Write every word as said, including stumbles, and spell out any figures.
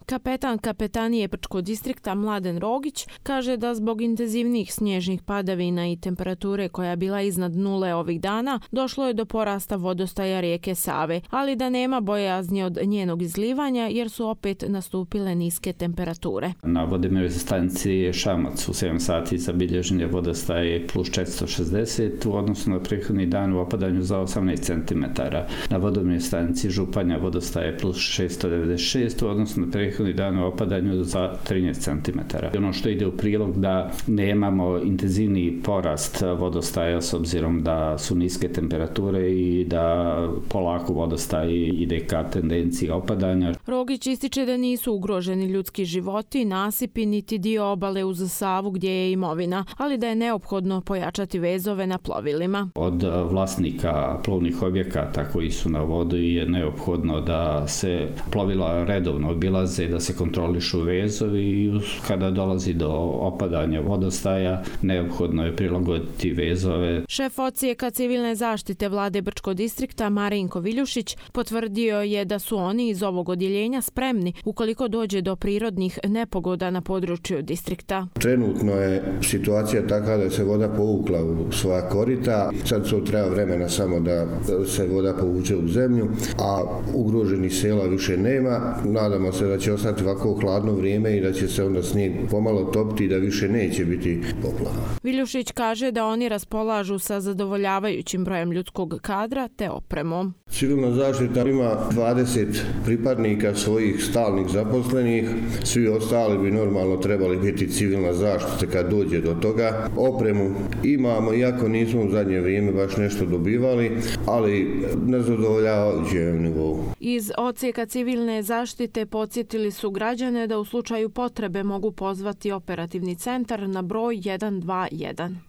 Kapetan kapetanije Brčkog distrikta Mladen Rogić kaže da zbog intenzivnijih snježnih padavina i temperature koja je bila iznad nule ovih dana došlo je do porasta vodostaja rijeke Save, ali da nema bojazni od njenog izlivanja jer su opet nastupile niske temperature. Na vodomjernoj stanici Šamac u sedam sati zabilježen je vodostaj plus četiristo šezdeset u odnosu na prethodni dan u opadanju za osamnaest centimetara. Na vodomjernoj stanici Županja vodostaj je plus šesto devedeset šest u odnosu na prethodni dan u opadanju za trinaest centimetara. Ono što ide u prilog da nemamo intenzivni porast vodostaja s obzirom da su niske temperature i da polako vodostaj ide ka tendenciji opadanja. Rogić ističe da nisu ugroženi ljudski životi, nasipi niti dio obale uz Savu gdje je imovina, ali da je neophodno pojačati vezove na plovilima. Od vlasnika plovnih objekata koji su na vodu je neophodno da se plovila redovno obilaze, da se kontrolišu vezovi i kada dolazi do opadanja vodostaja neophodno je prilagoditi vezove. Šef odsjeka civilne zaštite vlade Brčkog distrikta Marinko Viljušić potvrdio je da su oni iz ovog odjeljenja spremni ukoliko dođe do prirodnih nepogoda na području distrikta. Trenutno je situacija takva da se voda povukla u svoja korita. Sad to treba vremena samo da se voda povuče u zemlju, a ugroženih sela više nema. Nadamo se da će ostati ovako hladno vrijeme i da će se onda snijeg pomalo topiti i da više neće biti poplava. Viljušić kaže da oni raspolažu sa zadovoljavajućim brojem ljudskog kadra te opremom. Civilna zaštita ima dvadeset pripadnika svojih stalnih zaposlenih, svi ostali bi normalno trebali biti civilna zaštita kad dođe do toga. Opremu imamo, iako nismo u zadnje vrijeme baš nešto dobivali, ali na zadovoljavajućem nivou. Iz odsjeka civilne zaštite podsjetili su građane da u slučaju potrebe mogu pozvati operativni centar na broj jedan dva jedan.